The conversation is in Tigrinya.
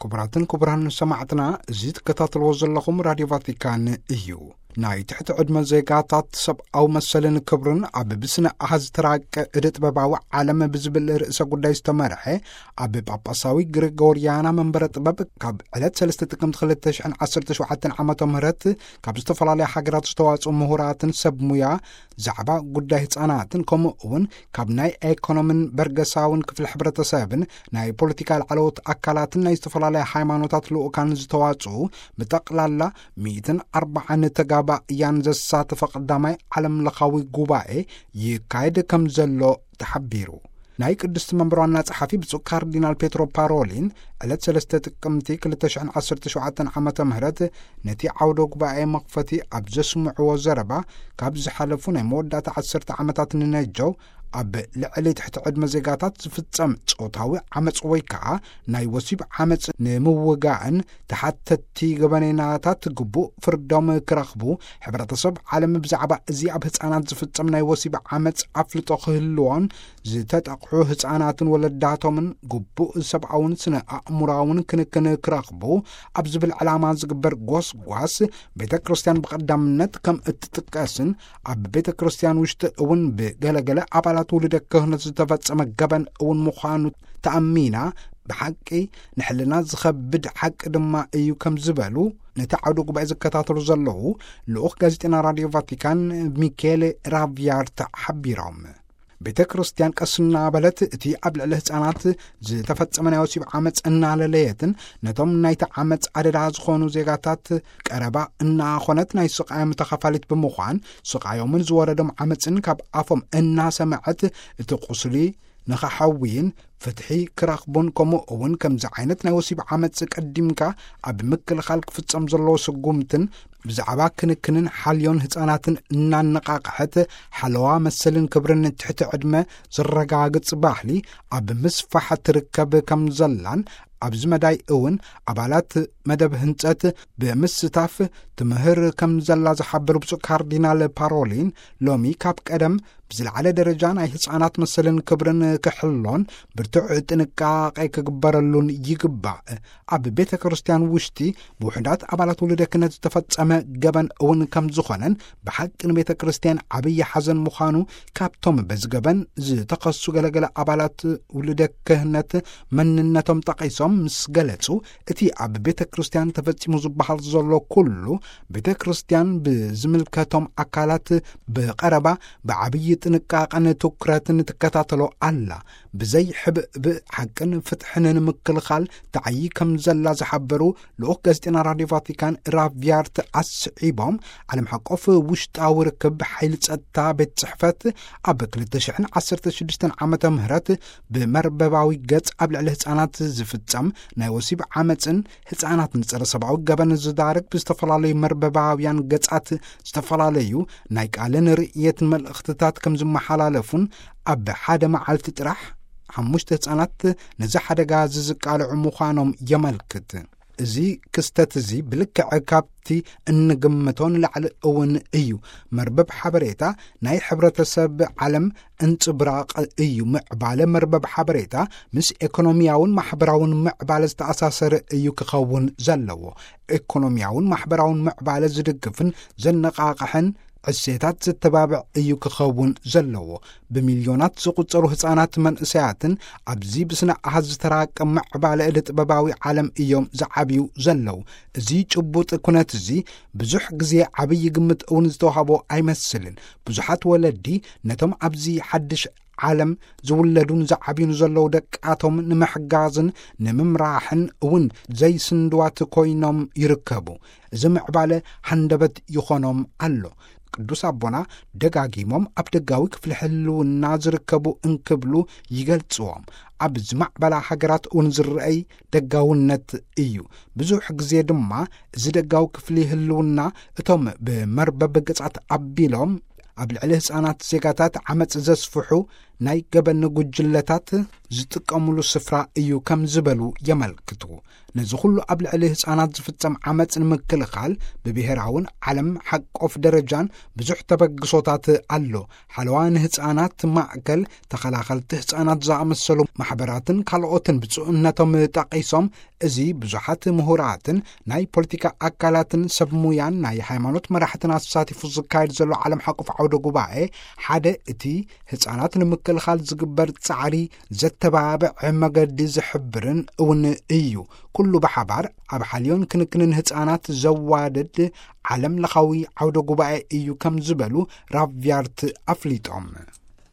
ክቡራትን ክቡራን ሰማዕትና፣ እዚ ትከታተልዎ ዘለኹም ራድዮ ቫቲካን እዩ። ናይ ትሕቲ ዕድመ ዜጋታት ሰብኣዊ መሰልን ክብርን ኣብ ብስነ ኣሃዝ ዝተራቀ እደ ጥበባዊ ዓለም ብዝብል ርእሰ ጉዳይ ዝተመርሐ፣ ኣብ ጳጳሳዊ ግሪጎርያና መንበረ ጥበብ ካብ ዕለት ሰለስተ ጥቅምቲ ክልተ ሽሕን ዓሰርተ ሸውዓተን ዓመተ ምህረት ካብ ዝተፈላለያ ሃገራት ዝተዋጽኡ ምሁራትን ሰብ ሙያ ዛዕባ ጉዳይ ህጻናትን፣ ከምኡ እውን ካብ ናይ ኤኮኖምን በርገሳውን ክፍሊ ሕብረተሰብን ናይ ፖለቲካ ላዕለዎት ኣካላትን ናይ ዝተፈላለያ ሃይማኖታት ልኡካን ዝተዋጽኡ ብጠቕላላ ሚእትን ኣርባዓን ተጋባእያን ዘሳተፈ ቀዳማይ ዓለም ለኻዊ ጉባኤ ይካየድ ከም ዘሎ ተሓቢሩ። ናይ ቅድስቲ መንበር ዋና ጸሓፊ ብፁዕ ካርዲናል ፔትሮ ፓሮሊን ዕለት ሰለስተ ጥቅምቲ ክልተ ሽሕን ዓሰርተ ሸውዓተን ዓመተ ምህረት ነቲ ዓውደ ጉባኤ መኽፈቲ ኣብ ዘስምዕዎ ዘረባ፣ ካብ ዝሓለፉ ናይ መወዳእታ ዓሰርተ ዓመታት ንነጀው ኣብ ልዕሊ ትሕቲ ዕድመ ዜጋታት ዝፍጸም ጾታዊ ዓመጽ ወይ ከኣ ናይ ወሲብ ዓመጽ ንምውጋእን ተሓተቲ ገበነኛታት ግቡእ ፍርዶም ክረኽቡ፣ ሕብረተሰብ ዓለም ብዛዕባ እዚ ኣብ ህጻናት ዝፍጸም ናይ ወሲብ ዓመጽ ኣፍልጦ ክህልዎን ዝተጠቕሑ ህጻናትን ወለዳቶምን ግቡእ ሰብኣውን ስነ ኣእምሮኣውን ክንክን ክረኽቡ ኣብ ዝብል ዕላማ ዝግበር ጎስጓስ ቤተ ክርስቲያን ብቐዳምነት ከም እትጥቀስን ኣብ ቤተ ክርስቲያን ውሽጢ እውን ብገለገለ ኣባላት ውሉደ ክህነት ዝተፈጸመ ገበን እውን ምዃኑ ተኣሚና፣ ብሓቂ ንሕልና ዝኸብድ ሓቂ ድማ እዩ ከም ዝበሉ ነቲ ዓውደ ጉባኤ ዝከታተሉ ዘለዉ ልኡኽ ጋዜጠና ራድዮ ቫቲካን ሚኬሌ ራቪያርታ ሓቢሮም። ቤተ ክርስቲያን ቀስ እናበለት እቲ ኣብ ልዕሊ ህጻናት ዝተፈጸመ ናይ ወሲብ ዓመጽ እናለለየትን ነቶም ናይቲ ዓመጽ ኣደዳ ዝኾኑ ዜጋታት ቀረባ እናኾነት ናይ ስቓዮም ተኻፋሊት ብምዃን ስቓዮምን ዝወረዶም ዓመጽን ካብ ኣፎም እናሰምዐት እቲ ቁስሊ ንኸሓውይን ፍትሒ ክረኽቡን ከምኡ እውን ከምዚ ዓይነት ናይ ወሲብ ዓመጽ ቀዲምካ ኣብ ምክልኻል ክፍጸም ዘለዎ ስጉምትን ብዛዕባ ክንክንን ሓልዮን ህጻናትን እናነቓቕሐት ሓለዋ መሰልን ክብርን ትሕቲ ዕድመ ዝረጋግጽ ባህሊ ኣብ ምስፋሕ ትርከብ ከም ዘላን ኣብዚ መዳይ እውን ኣባላት መደብ ህንጸት ብምስታፍ ትምህር ከም ዘላ ዝሓበሩ ብፁዕ ካርዲናል ፓሮሊን፣ ሎሚ ካብ ቀደም ብዝለዓለ ደረጃ ናይ ህጻናት መሰልን ክብርን ክሕሎን ብርቱዕ ጥንቃቄ ክግበረሉን ይግባእ። ኣብ ቤተ ክርስቲያን ውሽጢ ብውሑዳት ኣባላት ውሉደ ክህነት ዝተፈጸመ ገበን እውን ከም ዝኾነን ብሓቂ ንቤተ ክርስቲያን ዓብዪ ሓዘን ምዃኑ ካብቶም በዚ ገበን ዝተኸሱ ገለገለ ኣባላት ውሉደ ክህነት መንነቶም ጠቒሶም ምስ ገለጹ፣ እቲ ኣብ ቤተ ክርስቲያን ተፈጺሙ ዝበሃል ዘሎ ኩሉ ቤተ ክርስቲያን ብዝምልከቶም ኣካላት ብቐረባ ብዓብዪ ጥንቃቐን ትኩረትን ትከታተሎ ኣላ። ብዘይ ሕብእብእ ሓቅን ፍትሕን ንምክልኻል ትዓዪ ከም ዘላ ዝሓበሩ ልኡኽ ጋዜጠና ራድዮ ቫቲካን ራቪያርት ኣስዒቦም፣ ዓለም ሓቆፍ ውሽጣዊ ርክብ ሓይሊ ጸጥታ ቤት ጽሕፈት ኣብ ክልተ ሽሕን ዓሰርተ ሽዱሽተን ዓመተ ምህረት ብመርበባዊ ገጽ ኣብ ልዕሊ ህጻናት ዝፍጸም ናይ ወሲብ ዓመጽን ህጻናት ንጸረ ሰብኣዊ ገበን ዝዳርግ ብዝተፈላለዩ መርበባውያን ገጻት ዝተፈላለዩ ናይ ቃልን ርእየትን መልእኽትታት ከም ዝመሓላለፉን ኣብ ሓደ መዓልቲ ጥራሕ ሓሙሽተ ህጻናት ነዚ ሓደጋ እዚ ዝቃልዑ ምዃኖም የመልክት። እዚ ክስተት እዚ ብልክዕ ካብቲ እንግምቶ ንላዕሊ እውን እዩ። መርበብ ሓበሬታ ናይ ሕብረተሰብ ዓለም እንጽብራቕ እዩ። ምዕባለ መርበብ ሓበሬታ ምስ ኤኮኖሚያውን ማሕበራውን ምዕባለ ዝተኣሳሰረ እዩ ክኸውን ዘለዎ። ኤኮኖሚያውን ማሕበራውን ምዕባለ ዝድግፍን ዘነቓቕሕን ዕሴታት ዘተባብዕ እዩ ክኸውን ዘለዎ። ብሚልዮናት ዝቑጸሩ ህጻናት መንእሰያትን ኣብዚ ብስነ ኣሃዝ ዝተራቀ ምዕባለ እደ ጥበባዊ ዓለም እዮም ዝዓብዩ ዘለዉ። እዚ ጭቡጥ ኩነት እዚ ብዙሕ ግዜ ዓብዪ ግምት እውን ዝተዋህቦ ኣይመስልን። ብዙሓት ወለዲ ነቶም ኣብዚ ሓድሽ ዓለም ዝውለዱን ዝዓብዩን ዘለዉ ደቃቶም ንምሕጋዝን ንምምራሕን እውን ዘይስንድዋት ኮይኖም ይርከቡ። እዚ ምዕባለ ሃንደበት ይኾኖም ኣሎ። ቅዱስ ኣቦና ደጋጊሞም ኣብ ደጋዊ ክፍሊ ህልውና ዝርከቡ እንክብሉ ይገልጽዎም። ኣብ ዝማዕበላ ሃገራት እውን ዝረኣይ ደጋውነት እዩ። ብዙሕ ግዜ ድማ እዚ ደጋዊ ክፍሊ ህልውና እቶም ብመርበብ ገጻት ኣቢሎም ኣብ ልዕሊ ህጻናት ዜጋታት ዓመጽ ዘስፍሑ ናይ ገበን ጉጅለታት ዝጥቀምሉ ስፍራ እዩ ከም ዝበሉ የመልክቱ። ነዚ ኩሉ ኣብ ልዕሊ ህፃናት ዝፍጸም ዓመፅ ንምክልኻል ብብሔራውን ዓለም ሓቆፍ ደረጃን ብዙሕ ተበግሶታት ኣሎ። ሓለዋ ንህፃናት ማእከል፣ ተኸላኸልቲ ህፃናት ዝኣመሰሉ ማሕበራትን ካልኦትን ብፁዕነቶም ጠቒሶም፣ እዚ ብዙሓት ምሁራትን ናይ ፖለቲካ ኣካላትን ሰብ ሙያን ናይ ሃይማኖት መራሕትን ኣሳቲፉ ዝካየድ ዘሎ ዓለም ሓቆፍ ዓውደ ጉባኤ ሓደ እቲ ህፃናት ንምክልኻል ዝግበር ጻዕሪ ዘተባብዕ መገዲ ዝሕብርን እውን እዩ። ኩሉ ብሓባር ኣብ ሓልዮን ክንክንን ህፃናት ዘዋደድ ዓለም ለኻዊ ዓውደ ጉባኤ እዩ ከም ዝበሉ ራቪያርት ኣፍሊጦም።